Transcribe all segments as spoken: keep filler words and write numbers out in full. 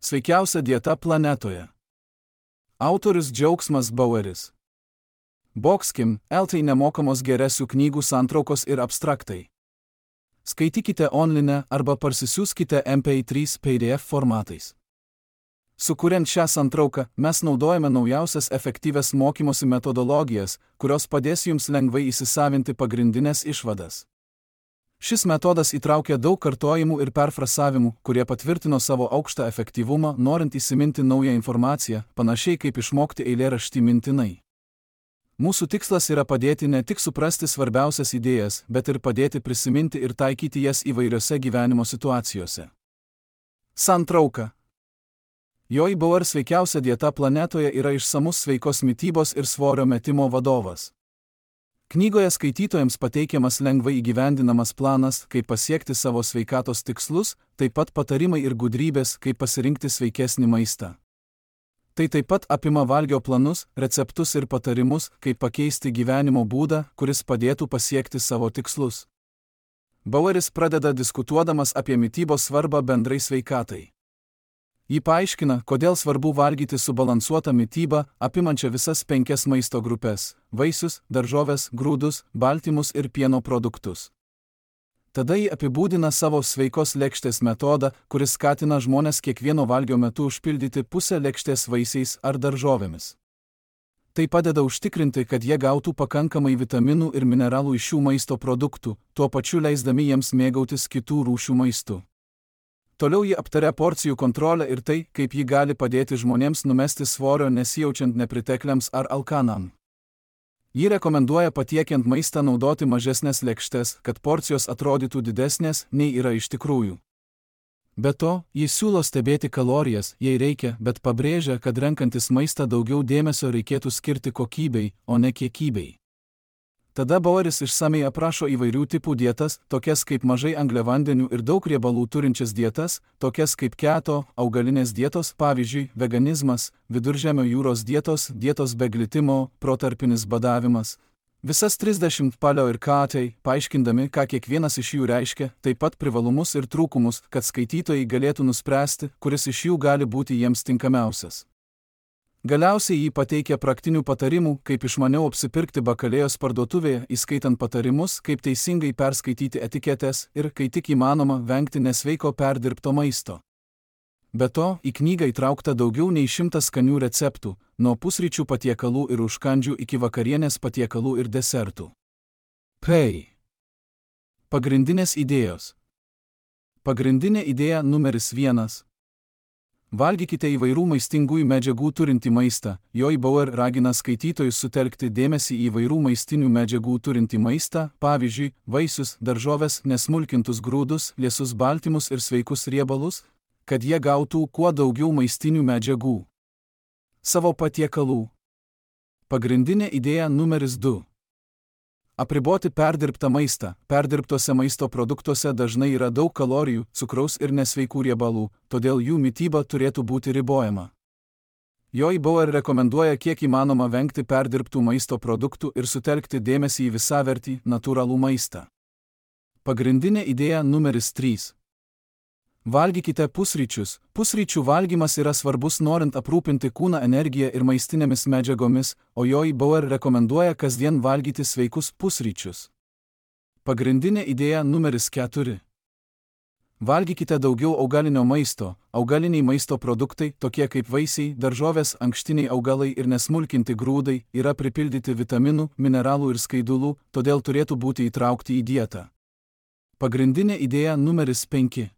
Sveikiausia dieta planetoje. Autorius Džiaugsmas Baueris. Boxkim, L T nemokamos geresių knygų santraukos ir abstraktai. Skaitykite online arba parsisiųskite M P trys P D F formatais. Sukuriant šią santrauką, mes naudojame naujausias efektyvias mokymosi metodologijas, kurios padės jums lengvai įsisavinti pagrindinės išvadas. Šis metodas įtraukia daug kartojimų ir perfrasavimų, kurie patvirtino savo aukštą efektyvumą, norint įsiminti naują informaciją, panašiai kaip išmokti eilėraštį mintinai. Mūsų tikslas yra padėti ne tik suprasti svarbiausias idėjas, bet ir padėti prisiminti ir taikyti jas įvairiose gyvenimo situacijose. Santrauka. Joy Bauer sveikiausia dieta planetoje yra išsamus sveikos mitybos ir svorio metimo vadovas. Knygoje skaitytojams pateikiamas lengvai įgyvendinamas planas, kaip pasiekti savo sveikatos tikslus, taip pat patarimai ir gudrybės, kaip pasirinkti sveikesnį maistą. Tai taip pat apima valgio planus, receptus ir patarimus, kaip pakeisti gyvenimo būdą, kuris padėtų pasiekti savo tikslus. Baueris pradeda diskutuodamas apie mitybos svarbą bendrai sveikatai. Ji paaiškina, kodėl svarbu valgyti subalansuotą mitybą, apimančią visas penkias maisto grupės – vaisius, daržoves, grūdus, baltymus ir pieno produktus. Tada ji apibūdina savo sveikos lėkštės metodą, kuris skatina žmones kiekvieno valgio metu užpildyti pusę lėkštės vaisiais ar daržovėmis. Tai padeda užtikrinti, kad jie gautų pakankamai vitaminų ir mineralų iš šių maisto produktų, tuo pačiu leisdami jiems mėgautis kitų rūšių maistu. Toliau ji aptaria porcijų kontrolę ir tai, kaip ji gali padėti žmonėms numesti svorio nesijaučiant nepritekliams ar alkanam. Ji rekomenduoja patiekiant maistą naudoti mažesnės lėkštes, kad porcijos atrodytų didesnės, nei yra iš tikrųjų. Be to, ji siūlo stebėti kalorijas, jei reikia, bet pabrėžia, kad renkantis maistą daugiau dėmesio reikėtų skirti kokybei, o ne kiekybei. Tada Baueris išsamei aprašo įvairių tipų dietas, tokias kaip mažai angliavandenių ir daug riebalų turinčias dietas, tokias kaip keto, augalinės dietos, pavyzdžiui, veganizmas, viduržemio jūros dietos, dietos be glitimo, protarpinis badavimas. Visas trisdešimt paleo ir katai, paaiškindami, ką kiekvienas iš jų reiškia, taip pat privalumus ir trūkumus, kad skaitytojai galėtų nuspręsti, kuris iš jų gali būti jiems tinkamiausias. Galiausiai jį pateikia praktinių patarimų, kaip išmaniau apsipirkti bakalėjos parduotuvėje, įskaitant patarimus, kaip teisingai perskaityti etiketes ir, kai tik įmanoma, vengti nesveiko perdirbto maisto. Be to, į knygą įtraukta daugiau nei šimtas skanių receptų, nuo pusryčių patiekalų ir užkandžių iki vakarienės patiekalų ir desertų. P. Pagrindinės idėjos. Pagrindinė idėja numeris vienas. Valgykite įvairių maistingųjų medžiagų turintį maistą. Joy Bauer ragina skaitytojus sutelkti dėmesį į įvairių maistinių medžiagų turintį maistą, pavyzdžiui, vaisius, daržoves, nesmulkintus grūdus, liesus baltymus ir sveikus riebalus, kad jie gautų kuo daugiau maistinių medžiagų. Savo patiekalų. Pagrindinė idėja numeris du. Apriboti perdirbtą maistą. Perdirbtose maisto produktuose dažnai yra daug kalorijų, cukraus ir nesveikų riebalų, todėl jų mityba turėtų būti ribojama. Joy Bauer rekomenduoja kiek įmanoma vengti perdirbtų maisto produktų ir sutelkti dėmesį į visavertį, natūralų maistą. Pagrindinė idėja numeris trys. Valgykite pusryčius. Pusryčių valgymas yra svarbus norint aprūpinti kūną energiją ir maistinėmis medžiagomis, o Joy Bauer rekomenduoja kasdien valgyti sveikus pusryčius. Pagrindinė idėja numeris keturi. Valgykite daugiau augalinio maisto. Augaliniai maisto produktai, tokie kaip vaisiai, daržovės, ankštiniai augalai ir nesmulkinti grūdai, yra pripildyti vitaminų, mineralų ir skaidulų, todėl turėtų būti įtraukti į dietą. Pagrindinė idėja numeris penki.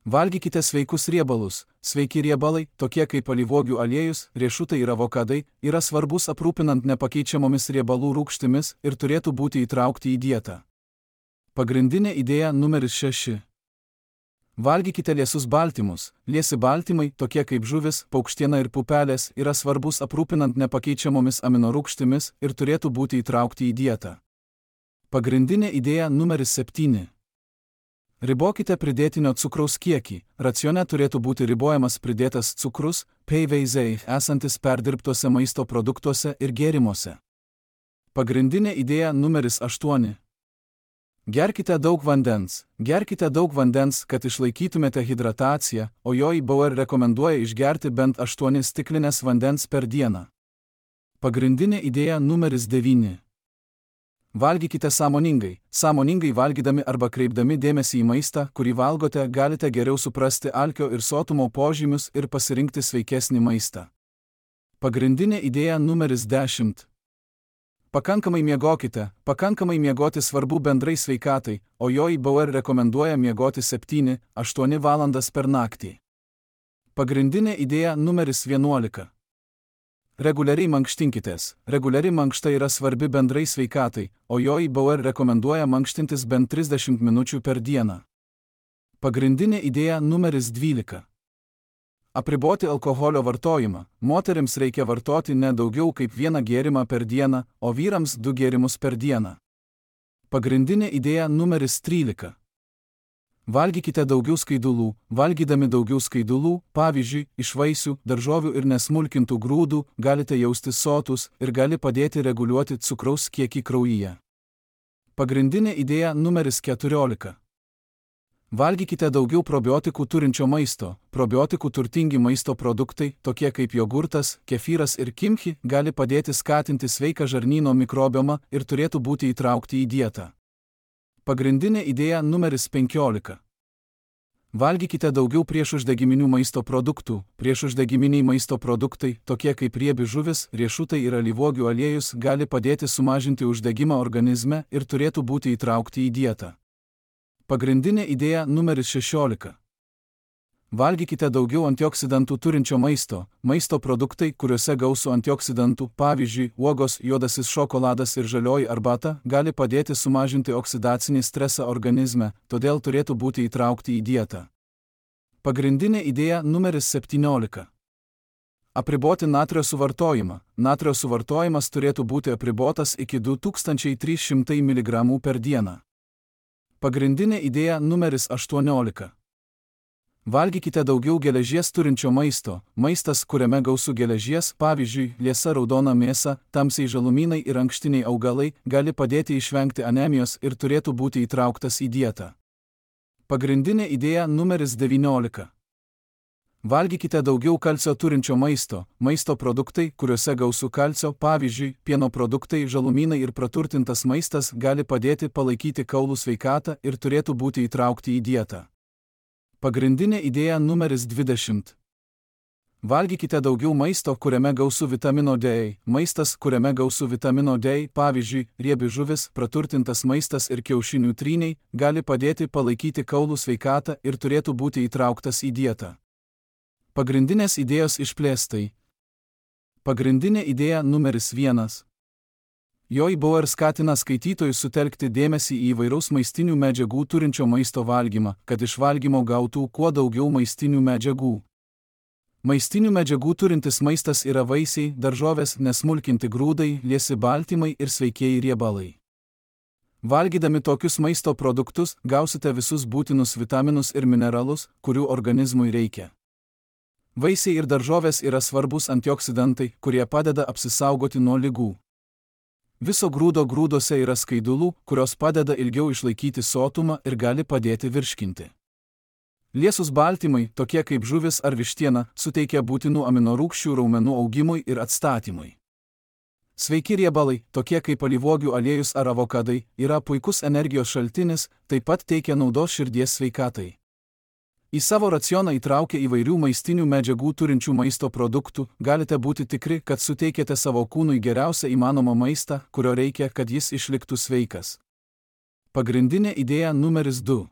Valgykite sveikus riebalus. Sveiki riebalai, tokie kaip alyvuogių aliejus, riešutai ir avokadai, yra svarbus aprūpinant nepakeičiamomis riebalų rūgštimis ir turėtų būti įtraukti į dietą. Pagrindinė idėja numeris šeši. Valgykite liesus baltymus. Liesi baltymai, tokie kaip žuvis, paukštiena ir pupelės, yra svarbus aprūpinant nepakeičiamomis aminorūgštimis ir turėtų būti įtraukti į dietą. Pagrindinė idėja numeris septyni. Ribokite pridėtinio cukraus kiekį. Racione turėtų būti ribojamas pridėtas cukrus, P V Z, esantis perdirbtuose maisto produktuose ir gėrimuose. Pagrindinė idėja numeris aštuoni. Gerkite daug vandens. Gerkite daug vandens, kad išlaikytumėte hidrataciją, o jo I B O R rekomenduoja išgerti bent aštuonias stiklinės vandens per dieną. Pagrindinė idėja numeris devyni. Valgykite sąmoningai. Sąmoningai valgydami arba kreipdami dėmesį į maistą, kurį valgote, galite geriau suprasti alkio ir sotumo požymius ir pasirinkti sveikesnį maistą. Pagrindinė idėja numeris dešimt. Pakankamai miegokite. Pakankamai miegoti svarbu bendrai sveikatai, o jo I B O R rekomenduoja miegoti septynias aštuonias valandas per naktį. Pagrindinė idėja numeris vienuolika. Reguliariai mankštinkitės. Reguliari mankšta yra svarbi bendrai sveikatai, o jo I B O R rekomenduoja mankštintis bent trisdešimt minučių per dieną. Pagrindinė idėja numeris dvylika. Apriboti alkoholio vartojimą. Moterims reikia vartoti ne daugiau kaip vieną gėrimą per dieną, o vyrams du gėrimus per dieną. Pagrindinė idėja numeris trylika. Valgykite daugiau skaidulų. Valgydami daugiau skaidulų, pavyzdžiui, iš vaisių, daržovių ir nesmulkintų grūdų, galite jaustis sotus ir gali padėti reguliuoti cukraus kiekį kraujyje. Pagrindinė idėja numeris keturiolika. Valgykite daugiau probiotikų turinčio maisto. Probiotikų turtingi maisto produktai, tokie kaip jogurtas, kefyras ir kimchi, gali padėti skatinti sveiką žarnyno mikrobiomą ir turėtų būti įtraukti į dietą. Pagrindinė idėja numeris penkiolika. Valgykite daugiau priešuždegiminių maisto produktų. Priešuždegiminiai maisto produktai, tokie kaip riebi žuvis, riešutai ir alyvuogių aliejus, gali padėti sumažinti uždegimą organizme ir turėtų būti įtraukti į dietą. Pagrindinė idėja numeris šešiolika. Valgykite daugiau antioksidantų turinčio maisto. Maisto produktai, kuriuose gausu antioksidantų, pavyzdžiui, uogos, juodasis šokoladas ir žalioji arbata, gali padėti sumažinti oksidacinį stresą organizme, todėl turėtų būti įtraukti į dietą. Pagrindinė idėja numeris septyniolika. Apriboti natrio suvartojimą. Natrio suvartojimas turėtų būti apribotas iki du tūkstančiai trys šimtai miligramų per dieną. Pagrindinė idėja numeris aštuoniolika. Valgykite daugiau geležies turinčio maisto. Maistas, kuriame gausu geležies, pavyzdžiui, liesa raudona mėsa, tamsiai žalumynai ir ankštiniai augalai, gali padėti išvengti anemijos ir turėtų būti įtrauktas į dietą. Pagrindinė idėja numeris devyniolika. Valgykite daugiau kalcio turinčio maisto. Maisto produktai, kuriuose gausu kalcio, pavyzdžiui, pieno produktai, žalumynai ir praturtintas maistas, gali padėti palaikyti kaulų sveikatą ir turėtų būti įtraukti į dietą. Pagrindinė idėja numeris dvidešimt. Valgykite daugiau maisto, kuriame gausu vitamino D. Maistas, kuriame gausu vitamino D, pavyzdžiui, riebi žuvis, praturtintas maistas ir kiaušinių tryniai, gali padėti palaikyti kaulų sveikatą ir turėtų būti įtrauktas į dietą. Pagrindinės idėjos išplėstai. Pagrindinė idėja numeris vienas. Jo I B O R skatina skaitytojus sutelkti dėmesį į įvairaus maistinių medžiagų turinčio maisto valgymą, kad iš valgymo gautų kuo daugiau maistinių medžiagų. Maistinių medžiagų turintis maistas yra vaisiai, daržovės, nesmulkinti grūdai, liesi baltymai ir sveikieji riebalai. Valgydami tokius maisto produktus, gausite visus būtinus vitaminus ir mineralus, kurių organizmui reikia. Vaisiai ir daržovės yra svarbus antioksidantai, kurie padeda apsisaugoti nuo ligų. Viso grūdo grūdose yra skaidulų, kurios padeda ilgiau išlaikyti sotumą ir gali padėti virškinti. Liesus baltymai, tokie kaip žuvis ar vištiena, suteikia būtinų aminorūgščių raumenų augimui ir atstatymui. Sveiki riebalai, tokie kaip alyvuogių aliejus ar avokadai, yra puikus energijos šaltinis, taip pat teikia naudos širdies sveikatai. Į savo racioną įtraukę įvairių maistinių medžiagų turinčių maisto produktų, galite būti tikri, kad suteikėte savo kūnui geriausią įmanomą maistą, kurio reikia, kad jis išliktų sveikas. Pagrindinė idėja numeris du.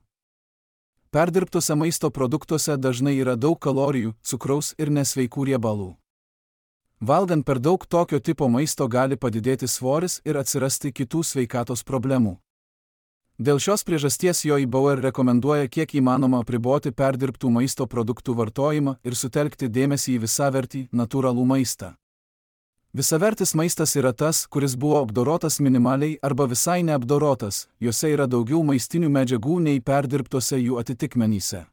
Perdirbtuose maisto produktuose dažnai yra daug kalorijų, cukraus ir nesveikų riebalų. Valgant per daug tokio tipo maisto gali padidėti svoris ir atsirasti kitų sveikatos problemų. Dėl šios priežasties jo I B O R rekomenduoja kiek įmanoma apriboti perdirbtų maisto produktų vartojimą ir sutelkti dėmesį į visavertį, natūralų maistą. Visavertis maistas yra tas, kuris buvo apdorotas minimaliai arba visai neapdorotas, juose yra daugiau maistinių medžiagų nei perdirbtose jų atitikmenyse.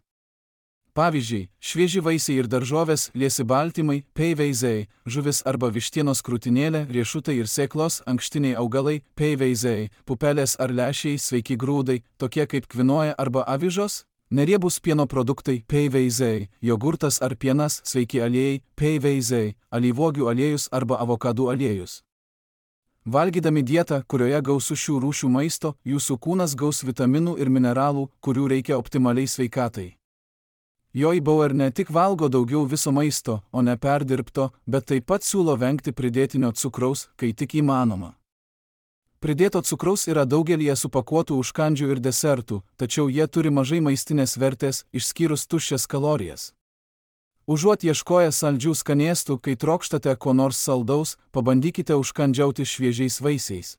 pavyzdžiui, švieži vaisiai ir daržovės, liesi baltymai, peiveizai, žuvis arba vištienos krūtinėlė, riešutai ir sėklos, ankštiniai augalai, peiveizai, pupelės ar lęšiai, sveiki grūdai, tokie kaip kvinoja arba avižos, neriebūs pieno produktai, peiveizai, jogurtas ar pienas, sveiki aliejai, peiveizai, alyvuogių aliejus arba avokadų aliejus. Valgydami dietą, kurioje gausu šių rūšių maisto, jūsų kūnas gaus vitaminų ir mineralų, kurių reikia optimaliai sveikatai. Joy Bauer ne tik valgo daugiau viso maisto, o ne perdirbto, bet taip pat siūlo vengti pridėtinio cukraus, kai tik įmanoma. Pridėto cukraus yra daugelyje supakuotų užkandžių ir desertų, tačiau jie turi mažai maistinės vertės, išskyrus tuščias kalorijas. Užuot ieškoję saldžių skanėstų, kai trokštate ko nors saldaus, pabandykite užkandžiauti šviežiais vaisiais.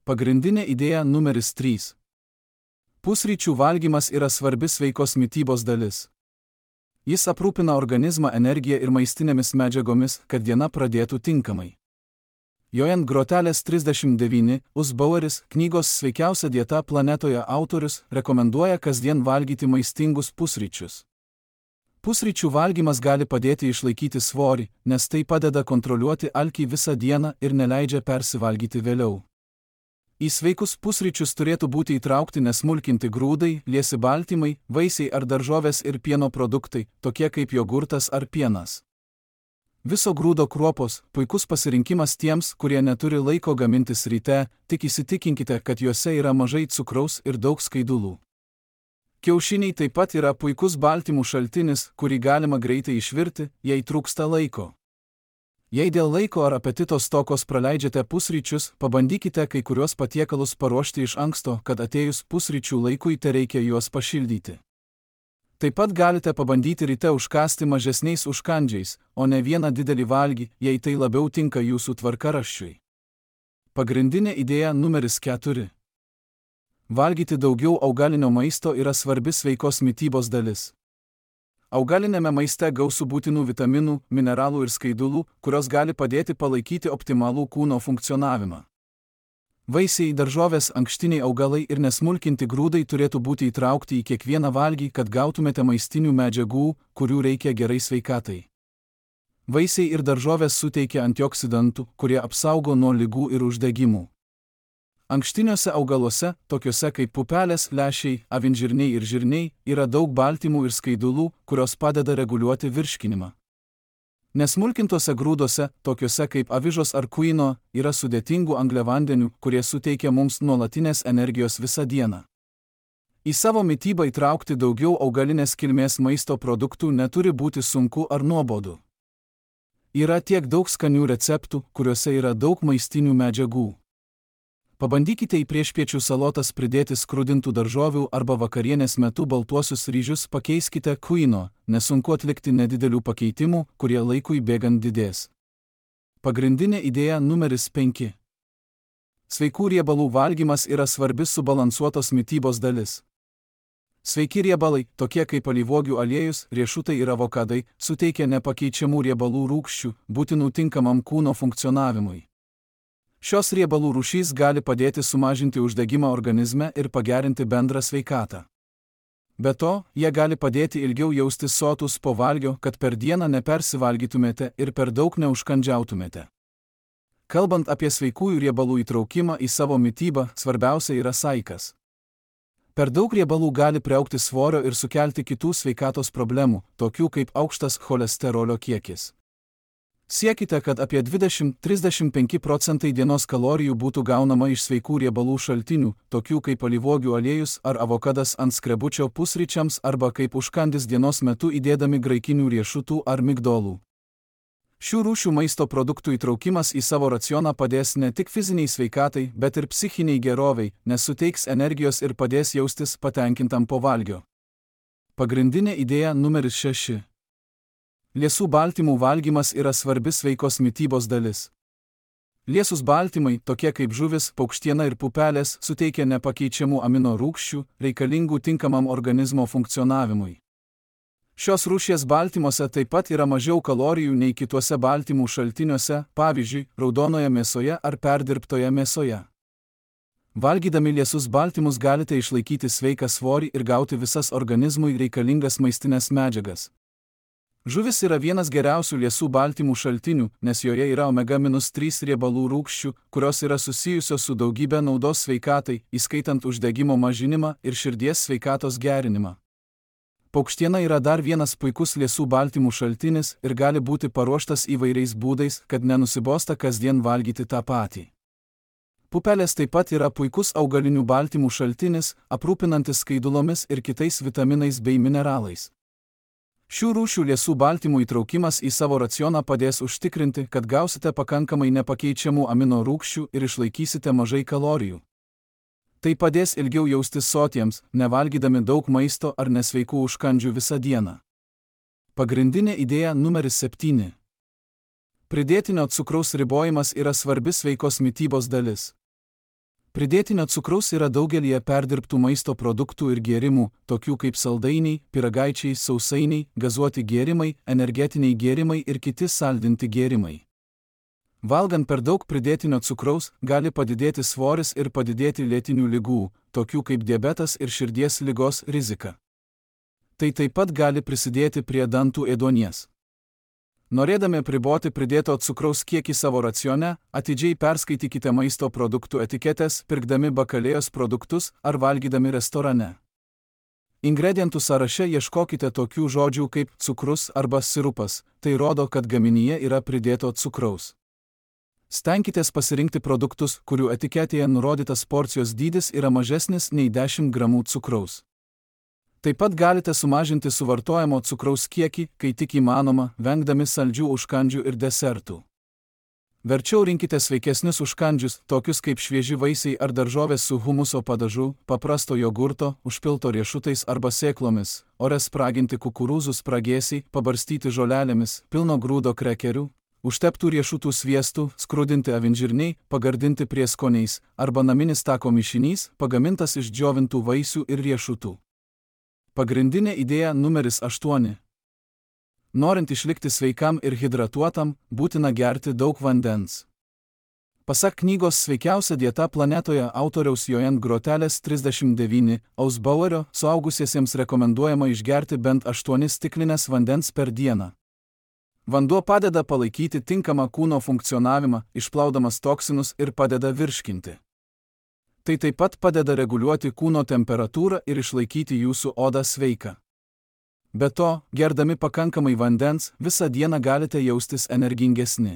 Pagrindinė idėja numeris trys. Pusryčių valgymas yra svarbi sveikos mitybos dalis. Jis aprūpina organizmą energiją ir maistinėmis medžiagomis, kad diena pradėtų tinkamai. Jojan Grotelės trisdešimt devyni, Us Baueris, knygos Sveikiausia dieta planetoje autorius, rekomenduoja kasdien valgyti maistingus pusryčius. Pusryčių valgymas gali padėti išlaikyti svorį, nes tai padeda kontroliuoti alkį visą dieną ir neleidžia persivalgyti vėliau. Į sveikus pusryčius turėtų būti įtraukti nesmulkinti grūdai, liesi baltymai, vaisiai ar daržovės ir pieno produktai, tokie kaip jogurtas ar pienas. Viso grūdo kruopos – puikus pasirinkimas tiems, kurie neturi laiko gamintis ryte, tik įsitikinkite, kad juose yra mažai cukraus ir daug skaidulų. Kiaušiniai taip pat yra puikus baltymų šaltinis, kurį galima greitai išvirti, jei trūksta laiko. Jei dėl laiko ar apetito stokos praleidžiate pusryčius, pabandykite kai kuriuos patiekalus paruošti iš anksto, kad atėjus pusryčių laikui tereikia juos pašildyti. Taip pat galite pabandyti ryte užkąsti mažesniais užkandžiais, o ne vieną didelį valgį, jei tai labiau tinka jūsų tvarkaraščiui. Pagrindinė idėja numeris keturi. Valgyti daugiau augalinio maisto yra svarbi sveikos mitybos dalis. Augalinėme maiste gausu būtinų vitaminų, mineralų ir skaidulų, kurios gali padėti palaikyti optimalų kūno funkcionavimą. Vaisiai, daržovės, ankštiniai augalai ir nesmulkinti grūdai turėtų būti įtraukti į kiekvieną valgį, kad gautumėte maistinių medžiagų, kurių reikia gerai sveikatai. Vaisiai ir daržovės suteikia antioksidantų, kurie apsaugo nuo ligų ir uždegimų. Ankštiniuose augaluose, tokiuose kaip pupelės, lęšiai, avinžirniai ir žirniai, yra daug baltymų ir skaidulų, kurios padeda reguliuoti virškinimą. Nesmulkintuose grūduose, tokiuose kaip avižos ar kuino, yra sudėtingų angliavandenių, kurie suteikia mums nuolatinės energijos visą dieną. Į savo mitybą įtraukti daugiau augalinės kilmės maisto produktų neturi būti sunku ar nuobodu. Yra tiek daug skanių receptų, kuriuose yra daug maistinių medžiagų. Pabandykite į priešpiečių salotas pridėti skrudintų daržovių arba vakarienės metu baltuosius ryžius pakeiskite kuino, nesunku atlikti nedidelių pakeitimų, kurie laikui bėgant didės. Pagrindinė idėja numeris penki. Sveikų riebalų valgymas yra svarbi subalansuotos mitybos dalis. Sveiki riebalai, tokie kaip alyvuogių aliejus, riešutai ir avokadai, suteikia nepakeičiamų riebalų rūgščių, būtinų tinkamam kūno funkcionavimui. Šios riebalų rūšys gali padėti sumažinti uždegimą organizme ir pagerinti bendrą sveikatą. Be to, jie gali padėti ilgiau jaustis sotus po valgio, kad per dieną nepersivalgytumėte ir per daug neužkandžiautumėte. Kalbant apie sveikųjų riebalų įtraukimą į savo mitybą, svarbiausia yra saikas. Per daug riebalų gali priaugti svorio ir sukelti kitų sveikatos problemų, tokių kaip aukštas cholesterolio kiekis. Siekite, kad apie dvidešimt iki trisdešimt penki procentai dienos kalorijų būtų gaunama iš sveikų riebalų šaltinių, tokių kaip alyvuogių aliejus ar avokadas ant skrebučio pusryčiams arba kaip užkandis dienos metu įdėdami graikinių riešutų ar migdolų. Šių rūšių maisto produktų įtraukimas į savo racioną padės ne tik fiziniai sveikatai, bet ir psichiniai geroviai, nes suteiks energijos ir padės jaustis patenkintam po valgio. Pagrindinė idėja numeris šeši. Liesų baltymų valgymas yra svarbi sveikos mitybos dalis. Liesūs baltymai, tokie kaip žuvis, paukštiena ir pupelės, suteikia nepakeičiamų amino rūgščių, reikalingų tinkamam organizmo funkcionavimui. Šios rūšies baltymuose taip pat yra mažiau kalorijų nei kituose baltymų šaltiniuose, pavyzdžiui, raudonoje mėsoje ar perdirbtoje mėsoje. Valgydami liesus baltymus galite išlaikyti sveiką svorį ir gauti visas organizmui reikalingas maistinės medžiagas. Žuvis yra vienas geriausių liesų baltymų šaltinių, nes joje yra omega trys riebalų rūgščių, kurios yra susijusios su daugybė naudos sveikatai, įskaitant uždegimo mažinimą ir širdies sveikatos gerinimą. Paukštiena yra dar vienas puikus liesų baltymų šaltinis ir gali būti paruoštas įvairiais būdais, kad nenusibosta kasdien valgyti tą patį. Pupelės taip pat yra puikus augalinių baltymų šaltinis, aprūpinantis skaidulomis ir kitais vitaminais bei mineralais. Šių rūšių liesų baltymų įtraukimas į savo racioną padės užtikrinti, kad gausite pakankamai nepakeičiamų amino rūgščių ir išlaikysite mažai kalorijų. Tai padės ilgiau jaustis sotiems, nevalgydami daug maisto ar nesveikų užkandžių visą dieną. Pagrindinė idėja numeris septyni. Pridėtinio cukraus ribojimas yra svarbi sveikos mitybos dalis. Pridėtinio cukraus yra daugelyje perdirbtų maisto produktų ir gėrimų, tokių kaip saldainiai, pyragaičiai, sausainiai, gazuoti gėrimai, energetiniai gėrimai ir kiti saldinti gėrimai. Valgant per daug pridėtinio cukraus, gali padidėti svoris ir padidėti lėtinių ligų, tokių kaip diabetas ir širdies ligos rizika. Tai taip pat gali prisidėti prie dantų ėduonies. Norėdami apriboti pridėto cukraus kiekį savo racione, atidžiai perskaitykite maisto produktų etiketės, pirkdami bakalėjos produktus ar valgydami restorane. Ingredientų sąraše ieškokite tokių žodžių kaip cukrus arba sirupas, tai rodo, kad gaminyje yra pridėto cukraus. Stenkitės pasirinkti produktus, kurių etiketėje nurodytas porcijos dydis yra mažesnis nei dešimt gramų cukraus. Taip pat galite sumažinti suvartojamo cukraus kiekį, kai tik įmanoma, vengdami saldžių užkandžių ir desertų. Verčiau rinkite sveikesnius užkandžius, tokius kaip švieži vaisiai ar daržovės su humuso padažu, paprasto jogurto, užpilto riešutais arba sėklomis, ore spraginti kukurūzų spragėsiai, pabarstyti žolelėmis, pilno grūdo krekerių, užteptų riešutų sviestų, skrudinti avinžirniai, pagardinti prieskoniais, arba naminis tako mišinys, pagamintas iš džiovintų vaisių ir riešutų. Pagrindinė idėja numeris aštuoni. Norint išlikti sveikam ir hidratuotam, būtina gerti daug vandens. Pasak knygos Sveikiausia dieta planetoje autoriaus Joanne Grotelės trisdešimt devyni, Ausbauerio, suaugusiesiems rekomenduojama išgerti bent aštuonias stiklines vandens per dieną. Vanduo padeda palaikyti tinkamą kūno funkcionavimą, išplaudamas toksinus ir padeda virškinti. Tai taip pat padeda reguliuoti kūno temperatūrą ir išlaikyti jūsų odą sveiką. Be to, gerdami pakankamai vandens, visą dieną galite jaustis energingesni.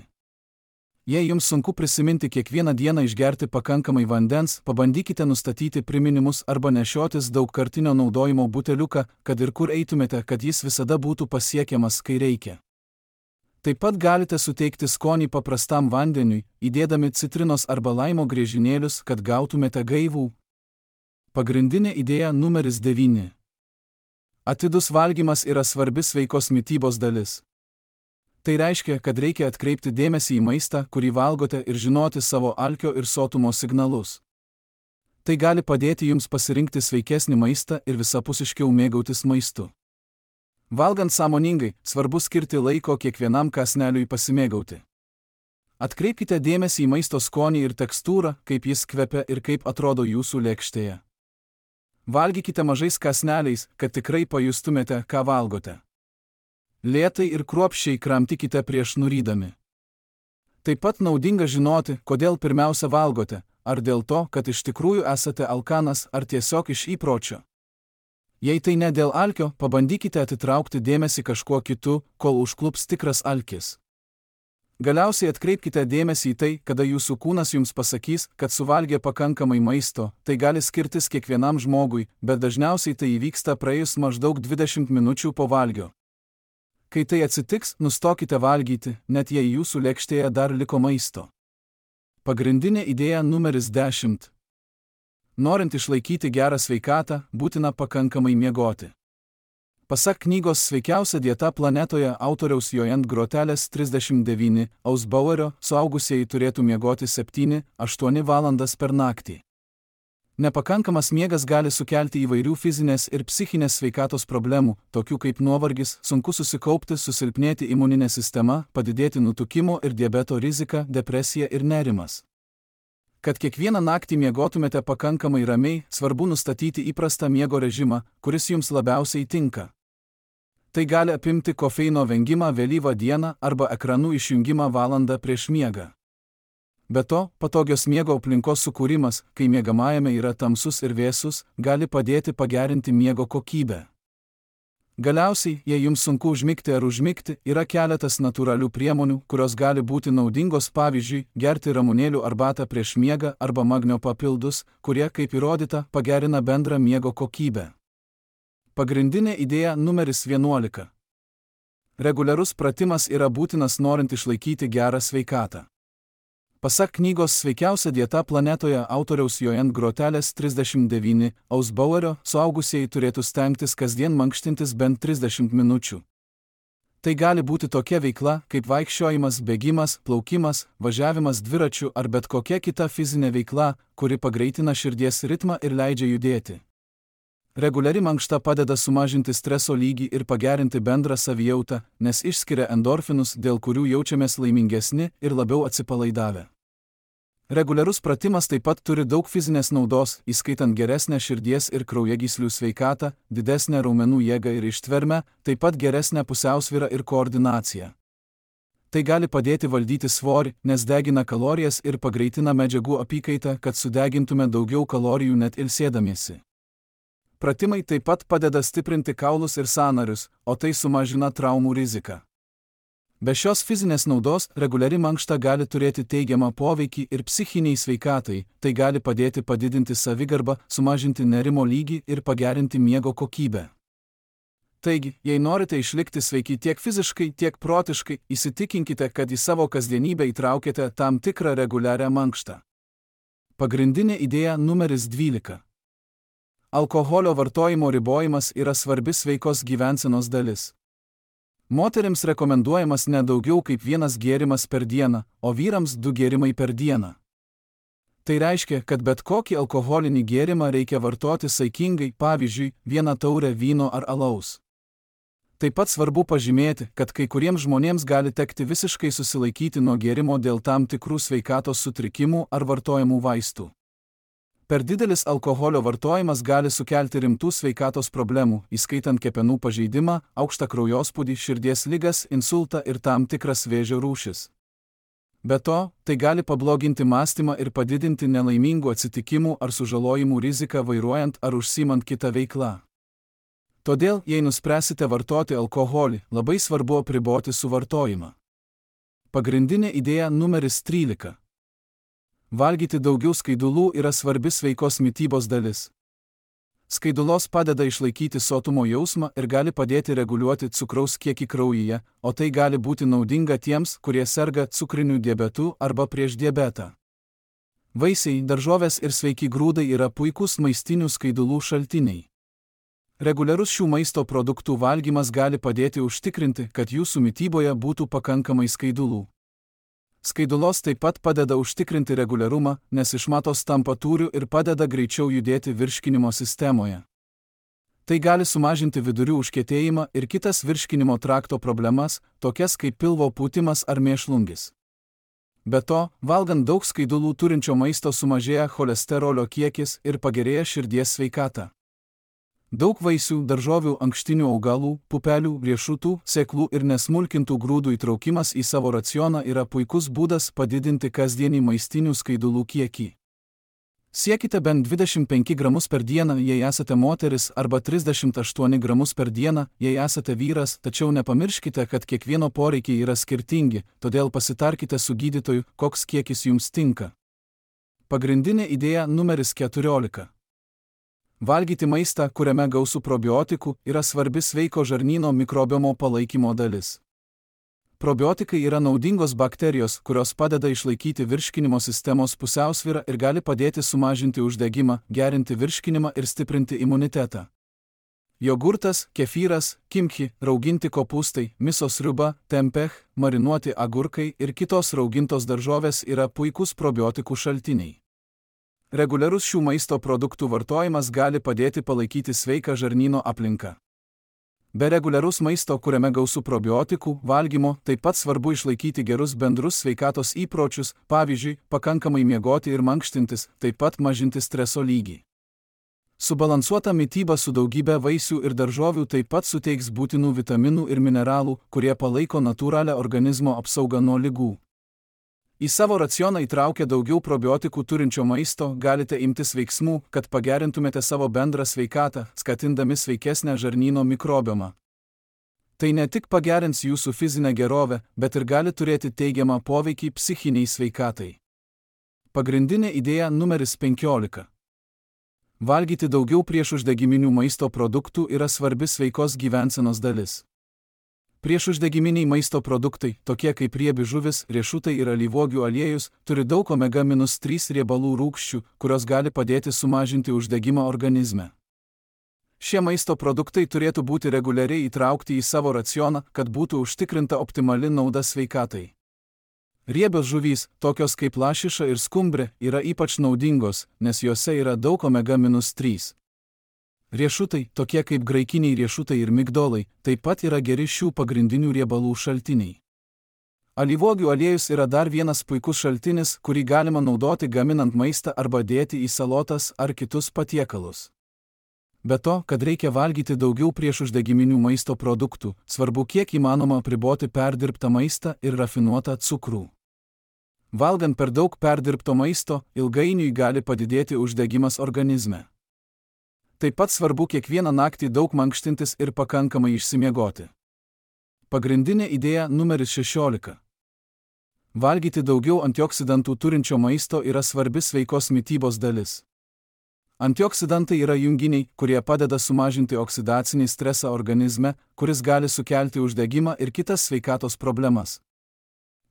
Jei jums sunku prisiminti kiekvieną dieną išgerti pakankamai vandens, pabandykite nustatyti priminimus arba nešiotis daugkartinio naudojimo buteliuką, kad ir kur eitumėte, kad jis visada būtų pasiekiamas, kai reikia. Taip pat galite suteikti skonį paprastam vandeniui, įdėdami citrinos arba laimo griežinėlius, kad gautumėte gaivų. Pagrindinė idėja numeris devyni. Atidus valgymas yra svarbi sveikos mitybos dalis. Tai reiškia, kad reikia atkreipti dėmesį į maistą, kurį valgote ir žinoti savo alkio ir sotumo signalus. Tai gali padėti jums pasirinkti sveikesnį maistą ir visapusiškiau mėgautis maistu. Valgant sąmoningai, svarbu skirti laiko kiekvienam kąsneliui pasimėgauti. Atkreipkite dėmesį į maisto skonį ir tekstūrą, kaip jis kvepia ir kaip atrodo jūsų lėkštėje. Valgykite mažais kąsneliais, kad tikrai pajustumėte, ką valgote. Lėtai ir kruopščiai kramtykite prieš nurydami. Taip pat naudinga žinoti, kodėl pirmiausia valgote, ar dėl to, kad iš tikrųjų esate alkanas, ar tiesiog iš įpročio. Jei tai ne dėl alkio, pabandykite atitraukti dėmesį kažkuo kitu, kol užklups tikras alkis. Galiausiai atkreipkite dėmesį į tai, kada jūsų kūnas jums pasakys, kad suvalgė pakankamai maisto, tai gali skirtis kiekvienam žmogui, bet dažniausiai tai įvyksta praėjus maždaug dvidešimt minučių po valgio. Kai tai atsitiks, nustokite valgyti, net jei jūsų lėkštėje dar liko maisto. Pagrindinė idėja numeris dešimt. Norint išlaikyti gerą sveikatą, būtina pakankamai miegoti. Pasak knygos Sveikiausia dieta planetoje autoriaus Joanne Grotelės trisdešimt devyni, Ausbauerio, suaugusieji turėtų miegoti septynias aštuonias valandas per naktį. Nepakankamas miegas gali sukelti įvairių fizinės ir psichinės sveikatos problemų, tokių kaip nuovargis, sunku susikaupti, susilpnėti imuninė sistema, padidėti nutukimo ir diabeto rizika, depresija ir nerimas. Kad kiekvieną naktį miegotumėte pakankamai ramiai, svarbu nustatyti įprastą miego režimą, kuris jums labiausiai tinka. Tai gali apimti kofeino vengimą vėlyvą dieną arba ekranų išjungimą valandą prieš miegą. Be to, patogios miego aplinkos sukūrimas, kai miegamajame yra tamsus ir vėsus, gali padėti pagerinti miego kokybę. Galiausiai, jei jums sunku užmigti ar užmigti, yra keletas natūralių priemonių, kurios gali būti naudingos, pavyzdžiui, gerti ramunėlių arbatą prieš miegą arba magnio papildus, kurie, kaip įrodyta, pagerina bendrą miego kokybę. Pagrindinė idėja numeris vienuolika. Reguliarus pratimas yra būtinas norint išlaikyti gerą sveikatą. Pasak knygos Sveikiausia dieta planetoje autoriaus Joanne Grotelės trisdešimt devyni Ausbauerio, suaugusieji turėtų stengtis kasdien mankštintis bent trisdešimt minučių. Tai gali būti tokia veikla, kaip vaikščiojimas, bėgimas, plaukimas, važiavimas dviračiu ar bet kokia kita fizinė veikla, kuri pagreitina širdies ritmą ir leidžia judėti. Reguliari mankšta padeda sumažinti streso lygį ir pagerinti bendrą savijautą, nes išskiria endorfinus, dėl kurių jaučiamės laimingesni ir labiau atsipalaidavę. Reguliarus pratimas taip pat turi daug fizinės naudos, įskaitant geresnę širdies ir kraujagyslių sveikatą, didesnę raumenų jėgą ir ištvermę, taip pat geresnę pusiausvyrą ir koordinaciją. Tai gali padėti valdyti svorį, nes degina kalorijas ir pagreitina medžiagų apykaitą, kad sudegintume daugiau kalorijų net ilsėdamiesi. Pratimai taip pat padeda stiprinti kaulus ir sąnarius, o tai sumažina traumų riziką. Be šios fizinės naudos, reguliari mankšta gali turėti teigiamą poveikį ir psichiniai sveikatai, tai gali padėti padidinti savigarbą, sumažinti nerimo lygį ir pagerinti miego kokybę. Taigi, jei norite išlikti sveiki tiek fiziškai, tiek protiškai, įsitikinkite, kad į savo kasdienybę įtraukėte tam tikrą reguliarią mankštą. Pagrindinė idėja numeris dvylika. Alkoholio vartojimo ribojimas yra svarbi sveikos gyvensenos dalis. Moterims rekomenduojamas ne daugiau kaip vienas gėrimas per dieną, o vyrams du gėrimai per dieną. Tai reiškia, kad bet kokį alkoholinį gėrimą reikia vartoti saikingai, pavyzdžiui, vieną taurę vyno ar alaus. Taip pat svarbu pažymėti, kad kai kuriems žmonėms gali tekti visiškai susilaikyti nuo gėrimo dėl tam tikrų sveikatos sutrikimų ar vartojamų vaistų. Per didelis alkoholio vartojimas gali sukelti rimtų sveikatos problemų, įskaitant kepenų pažeidimą, aukštą kraujospūdį, širdies ligas, insultą ir tam tikras vėžio rūšis. Be to, tai gali pabloginti mąstymą ir padidinti nelaimingų atsitikimų ar sužalojimų riziką vairuojant ar užsiimant kitą veiklą. Todėl, jei nuspręsite vartoti alkoholį, labai svarbu apriboti suvartojimą. Pagrindinė idėja numeris trylika. Valgyti daugiau skaidulų yra svarbi sveikos mitybos dalis. Skaidulos padeda išlaikyti sotumo jausmą ir gali padėti reguliuoti cukraus kiekį kraujyje, o tai gali būti naudinga tiems, kurie serga cukriniu diabetu arba prieš diabetą. Vaisiai, daržovės ir sveiki grūdai yra puikūs maistinių skaidulų šaltiniai. Reguliarus šių maisto produktų valgymas gali padėti užtikrinti, kad jūsų mityboje būtų pakankamai skaidulų. Skaidulos taip pat padeda užtikrinti reguliarumą, nes iš matos tampa tūriu ir padeda greičiau judėti virškinimo sistemoje. Tai gali sumažinti vidurių užkietėjimą ir kitas virškinimo trakto problemas, tokias kaip pilvo pūtimas ar mėšlungis. Be to, valgant daug skaidulų turinčio maisto sumažėja cholesterolio kiekis ir pagerėja širdies sveikata. Daug vaisių, daržovių, ankštinių augalų, pupelių, riešutų, sėklų ir nesmulkintų grūdų įtraukimas į savo racioną yra puikus būdas padidinti kasdienį maistinių skaidulų kiekį. Siekite bent dvidešimt penkis gramus per dieną, jei esate moteris, arba trisdešimt aštuonis gramus per dieną, jei esate vyras, tačiau nepamirškite, kad kiekvieno poreikiai yra skirtingi, todėl pasitarkite su gydytoju, koks kiekis jums tinka. Pagrindinė idėja numeris keturiolika. Valgyti maistą, kuriame gausu probiotikų, yra svarbi sveiko žarnyno mikrobiomo palaikymo dalis. Probiotikai yra naudingos bakterijos, kurios padeda išlaikyti virškinimo sistemos pusiausvyrą ir gali padėti sumažinti uždegimą, gerinti virškinimą ir stiprinti imunitetą. Jogurtas, kefyras, kimchi, rauginti kopūstai, misos sriuba, tempeh, marinuoti agurkai ir kitos raugintos daržovės yra puikūs probiotikų šaltiniai. Reguliarus šių maisto produktų vartojimas gali padėti palaikyti sveiką žarnyno aplinką. Be reguliaraus maisto, kuriame gausu probiotikų, valgymo, taip pat svarbu išlaikyti gerus bendrus sveikatos įpročius, pavyzdžiui, pakankamai miegoti ir mankštintis, taip pat mažinti streso lygį. Subalansuota mityba su daugybė vaisių ir daržovių taip pat suteiks būtinų vitaminų ir mineralų, kurie palaiko natūralią organizmo apsaugą nuo ligų. Į savo racioną įtraukę daugiau probiotikų turinčio maisto galite imtis veiksmų, kad pagerintumėte savo bendrą sveikatą, skatindami sveikesnę žarnyno mikrobiomą. Tai ne tik pagerins jūsų fizinę gerovę, bet ir gali turėti teigiamą poveikį psichiniai sveikatai. Pagrindinė idėja numeris penkiolika. Valgyti daugiau priešuždegiminių maisto produktų yra svarbi sveikos gyvensenos dalis. Priešuždegiminiai maisto produktai, tokie kaip riebi žuvis, riešutai ir alyvuogių aliejus, turi daug omega trys riebalų rūgščių, kurios gali padėti sumažinti uždegimą organizme. Šie maisto produktai turėtų būti reguliariai įtraukti į savo racioną, kad būtų užtikrinta optimali nauda sveikatai. Riebios žuvys, tokios kaip lašiša ir skumbrė, yra ypač naudingos, nes juose yra daug omega trys. Riešutai, tokie kaip graikiniai riešutai ir migdolai, taip pat yra geri šių pagrindinių riebalų šaltiniai. Alyvuogių aliejus yra dar vienas puikus šaltinis, kurį galima naudoti gaminant maistą arba dėti į salotas ar kitus patiekalus. Be to, kad reikia valgyti daugiau priešuždegiminių maisto produktų, svarbu kiek įmanoma apriboti perdirbtą maistą ir rafinuotą cukrų. Valgant per daug perdirbto maisto, ilgainiui gali padidėti uždegimas organizme. Taip pat svarbu kiekvieną naktį daug mankštintis ir pakankamai išsimiegoti. Pagrindinė idėja numeris šešiolika. Valgyti daugiau antioksidantų turinčio maisto yra svarbi sveikos mitybos dalis. Antioksidantai yra junginiai, kurie padeda sumažinti oksidacinį stresą organizme, kuris gali sukelti uždegimą ir kitas sveikatos problemas.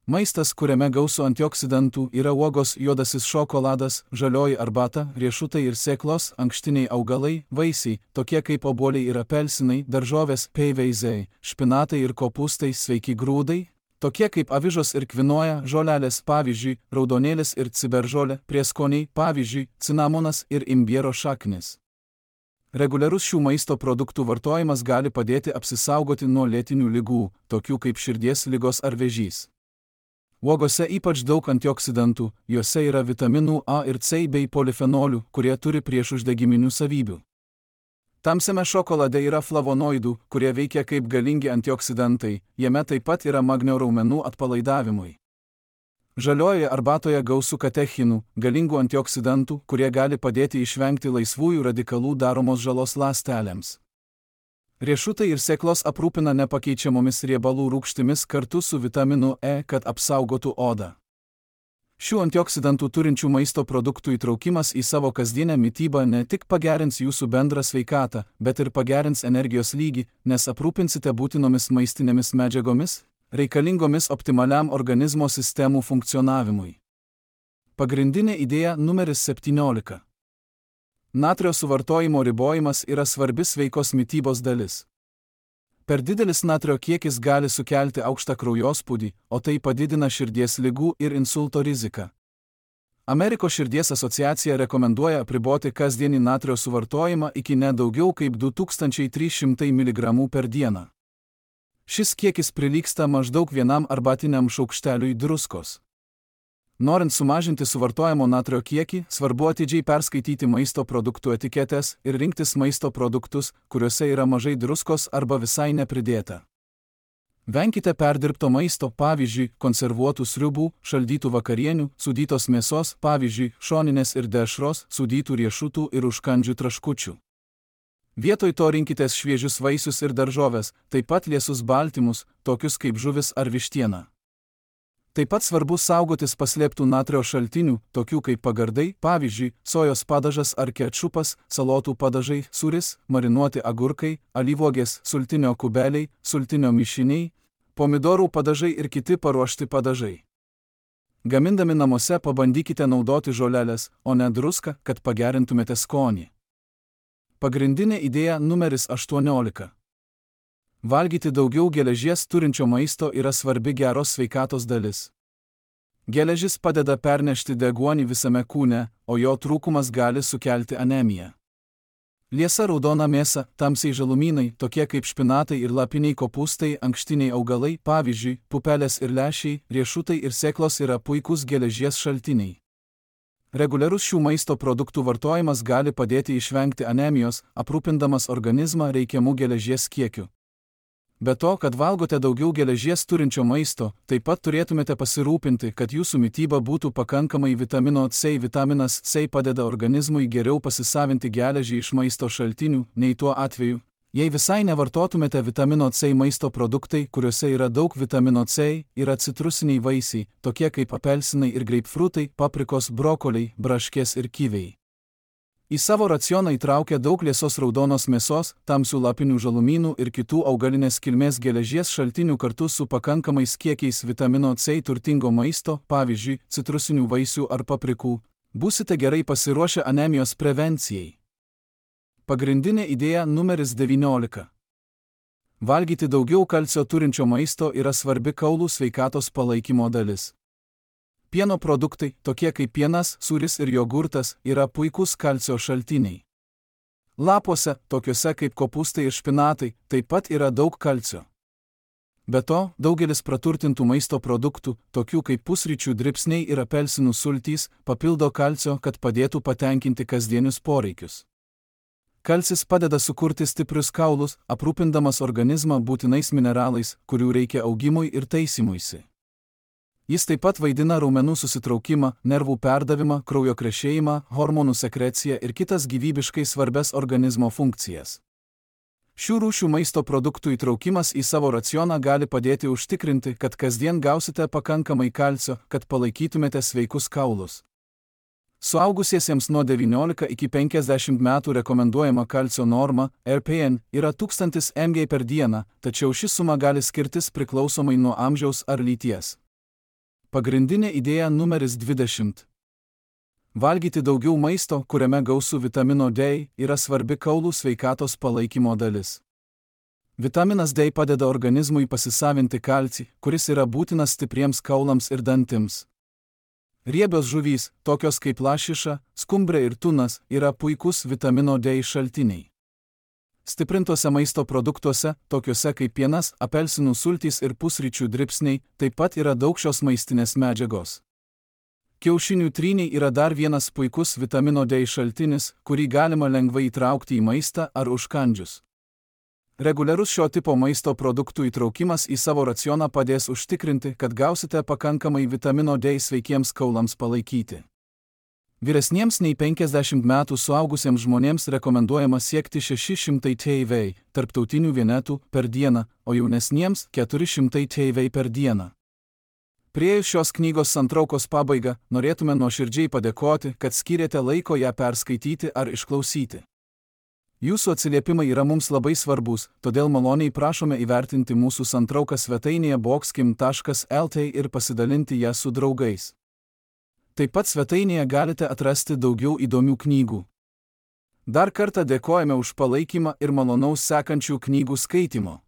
Maistas, kuriame gausu antioksidantų, yra uogos, juodasis šokoladas, žalioji arbata, riešutai ir sėklos, ankštiniai augalai, vaisiai, tokie kaip obuoliai ir apelsinai, daržovės, peiveizai, špinatai ir kopūstai, sveiki grūdai, tokie kaip avižos ir kvinoja, žolelės, pavyzdžiui, raudonėlis ir ciberžolė, prieskoniai, pavyzdžiui, cinamonas ir imbiero šaknis. Reguliarus šių maisto produktų vartojimas gali padėti apsisaugoti nuo lėtinių ligų, tokių kaip širdies ligos ar vėžys. Uogose ypač daug antioksidantų, juose yra vitaminų A ir C bei polifenolių, kurie turi priešuždegiminių savybių. Tamsiame šokolade yra flavonoidų, kurie veikia kaip galingi antioksidantai, jame taip pat yra magnio raumenų atpalaidavimui. Žaliojoje arbatoje gausu katechinų, galingų antioksidantų, kurie gali padėti išvengti laisvųjų radikalų daromos žalos ląstelėms. Riešutai ir sėklos aprūpina nepakeičiamomis riebalų rūgštimis kartu su vitaminu E, kad apsaugotų odą. Šių antioksidantų turinčių maisto produktų įtraukimas į savo kasdienę mitybą ne tik pagerins jūsų bendrą sveikatą, bet ir pagerins energijos lygį, nes aprūpinsite būtinomis maistinėmis medžiagomis, reikalingomis optimaliam organizmo sistemų funkcionavimui. Pagrindinė idėja numeris septyniolika. Natrio suvartojimo ribojimas yra svarbi sveikos mitybos dalis. Per didelis natrio kiekis gali sukelti aukštą kraujospūdį, o tai padidina širdies ligų ir insulto riziką. Amerikos širdies asociacija rekomenduoja apriboti kasdienį natrio suvartojimą iki ne daugiau kaip du tūkstančiai trys šimtai miligramų per dieną. Šis kiekis prilygsta maždaug vienam arbatiniam šaukšteliui druskos. Norint sumažinti suvartojamo natrio kiekį, svarbu atidžiai perskaityti maisto produktų etiketes ir rinktis maisto produktus, kuriuose yra mažai druskos arba visai nepridėta. Venkite perdirbto maisto, pavyzdžiui, konservuotų sriubų, šaldytų vakarienių, sūdytos mėsos, pavyzdžiui, šoninės ir dešros, sūdytų riešutų ir užkandžių traškučių. Vietoj to rinkitės šviežius vaisius ir daržoves, taip pat liesus baltymus, tokius kaip žuvis ar vištiena. Taip pat svarbu saugotis paslėptų natrio šaltinių, tokių kaip pagardai, pavyzdžiui, sojos padažas ar kečupas, salotų padažai, sūris, marinuoti agurkai, alyvuogės, sultinio kubeliai, sultinio mišiniai, pomidorų padažai ir kiti paruošti padažai. Gamindami namuose pabandykite naudoti žolelės, o ne druską, kad pagerintumėte skonį. Pagrindinė idėja numeris aštuoniolika. Valgyti daugiau geležies turinčio maisto yra svarbi geros sveikatos dalis. Geležis padeda pernešti deguonį visame kūne, o jo trūkumas gali sukelti anemiją. Liesa raudona mėsa, tamsiai žalumynai, tokie kaip špinatai ir lapiniai kopūstai, ankštiniai augalai, pavyzdžiui, pupelės ir lęšiai, riešutai ir sėklos yra puikūs geležies šaltiniai. Reguliarus šių maisto produktų vartojimas gali padėti išvengti anemijos, aprūpindamas organizmą reikiamų geležies kiekiu. Be to, kad valgote daugiau geležies turinčio maisto, taip pat turėtumėte pasirūpinti, kad jūsų mityba būtų pakankamai vitamino C. Vitaminas C padeda organizmui geriau pasisavinti geležį iš maisto šaltinių, nei tuo atveju, jei visai nevartotumėte vitamino C. Maisto produktai, kuriuose yra daug vitamino C, yra citrusiniai vaisiai, tokie kaip apelsinai ir greipfrutai, paprikos, brokoliai, braškės ir kiviai. Į savo racioną įtraukia daug liesos raudonos mėsos, tamsių lapinių žalumynų ir kitų augalinės kilmės geležies šaltinių kartu su pakankamais kiekiais vitamino C turtingo maisto, pavyzdžiui, citrusinių vaisių ar paprikų, būsite gerai pasiruošę anemijos prevencijai. Pagrindinė idėja numeris devyniolika. Valgyti daugiau kalcio turinčio maisto yra svarbi kaulų sveikatos palaikymo dalis. Pieno produktai, tokie kaip pienas, sūris ir jogurtas, yra puikūs kalcio šaltiniai. Lapuose, tokiuose kaip kopūstai ir špinatai, taip pat yra daug kalcio. Be to, daugelis praturtintų maisto produktų, tokių kaip pusryčių dribsniai ir apelsinų sultys, papildo kalcio, kad padėtų patenkinti kasdienius poreikius. Kalcis padeda sukurti stiprius kaulus, aprūpindamas organizmą būtinais mineralais, kurių reikia augimui ir taisymuisi. Jis taip pat vaidina raumenų susitraukimą, nervų perdavimą, kraujo krešėjimą, hormonų sekreciją ir kitas gyvybiškai svarbias organizmo funkcijas. Šių rūšių maisto produktų įtraukimas į savo racioną gali padėti užtikrinti, kad kasdien gausite pakankamai kalcio, kad palaikytumėte sveikus kaulus. Suaugusiesiems nuo devyniolika iki penkiasdešimt metų rekomenduojama kalcio norma, R P N, yra tūkstantis miligrammų per dieną, tačiau ši suma gali skirtis priklausomai nuo amžiaus ar lyties. Pagrindinė idėja numeris dvidešimt. Valgyti daugiau maisto, kuriame gausu vitamino D, yra svarbi kaulų sveikatos palaikymo dalis. Vitaminas D padeda organizmui pasisavinti kalcį, kuris yra būtinas stipriems kaulams ir dantims. Riebios žuvys, tokios kaip lašiša, skumbrė ir tunas, yra puikūs vitamino D šaltiniai. Stiprintuose maisto produktuose, tokiuose kaip pienas, apelsinų sultys ir pusryčių dribsniai, taip pat yra daug šios maistinės medžiagos. Kiaušinių tryniai yra dar vienas puikus vitamino D šaltinis, kurį galima lengvai įtraukti į maistą ar užkandžius. Reguliarus šio tipo maisto produktų įtraukimas į savo racioną padės užtikrinti, kad gausite pakankamai vitamino D sveikiems kaulams palaikyti. Vyresniems nei penkiasdešimt metų suaugusiems žmonėms rekomenduojama siekti šeši šimtai T V, tarptautinių vienetų, per dieną, o jaunesniems keturi šimtai T V per dieną. Priėjus šios knygos santraukos pabaigą, norėtume nuoširdžiai padėkoti, kad skyrėte laiko ją perskaityti ar išklausyti. Jūsų atsiliepimai yra mums labai svarbus, todėl maloniai prašome įvertinti mūsų santrauką svetainėje boxkim taškas L T ir pasidalinti ją su draugais. Taip pat svetainėje galite atrasti daugiau įdomių knygų. Dar kartą dėkojame už palaikymą ir malonaus sekančių knygų skaitimo.